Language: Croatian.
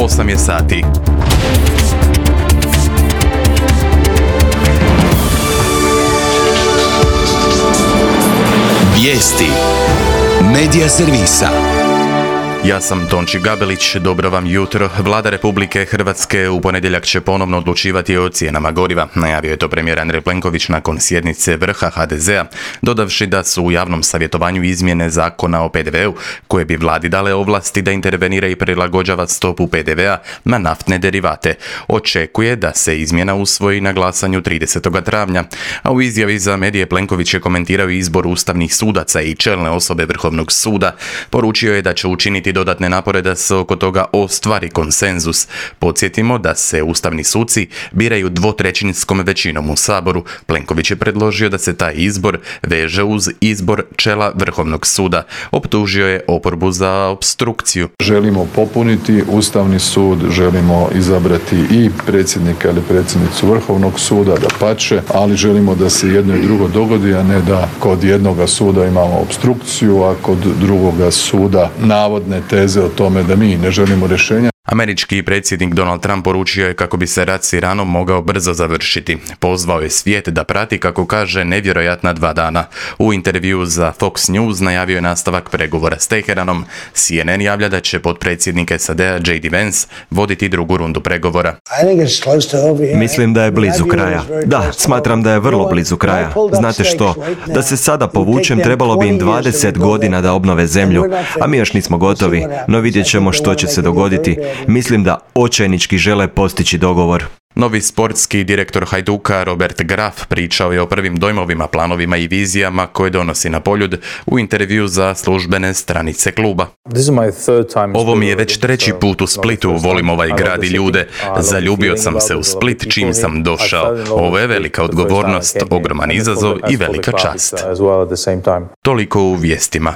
8 je sati. Vijesti Medija servisa. Ja sam Tonči Gabelić, dobro vam jutro. Vlada Republike Hrvatske u ponedjeljak će ponovno odlučivati o cijenama goriva. Najavio je to premijer Andrej Plenković nakon sjednice vrha HDZ-a, dodavši da su u javnom savjetovanju izmjene zakona o PDV-u, koje bi vladi dale ovlasti da intervenira i prilagođava stopu PDV-a na naftne derivate. Očekuje da se izmjena usvoji na glasanju 30. travnja, a u izjavi za medije Plenković je komentirao izbor ustavnih sudaca i čelne osobe Vrhovnog suda. Poručio je da će učiniti dodatne napore da se oko toga ostvari konsenzus. Podsjetimo da se ustavni suci biraju dvotrećinskom većinom u Saboru. Plenković je predložio da se taj izbor veže uz izbor čela Vrhovnog suda. Optužio je oporbu za opstrukciju. Želimo popuniti Ustavni sud, želimo izabrati i predsjednika ili predsjednicu Vrhovnog suda, dapače, ali želimo da se jedno i drugo dogodi, a ne da kod jednoga suda imamo opstrukciju, a kod drugoga suda navodne teze o tome da mi ne želimo rješenja. Američki predsjednik Donald Trump poručio je kako bi se rat s Iranom mogao brzo završiti. Pozvao je svijet da prati, kako kaže, nevjerojatna 2 dana. U intervjuu za Fox News najavio je nastavak pregovora s Teheranom. CNN javlja da će potpredsjednik SAD-a J.D. Vance voditi drugu rundu pregovora. Mislim da je blizu kraja. Da, smatram da je vrlo blizu kraja. Znate što? Da se sada povučem, trebalo bi im 20 godina da obnove zemlju, a mi još nismo gotovi, no vidjet ćemo što će se dogoditi. Mislim da očajnički žele postići dogovor. Novi sportski direktor Hajduka Robert Graf pričao je o prvim dojmovima, planovima i vizijama koje donosi na Poljud u intervjuu za službene stranice kluba. Ovo mi je već 3. put u Splitu, volim ovaj grad i ljude. Zaljubio sam se u Split čim sam došao. Ovo je velika odgovornost, ogroman izazov i velika čast. Toliko u vijestima.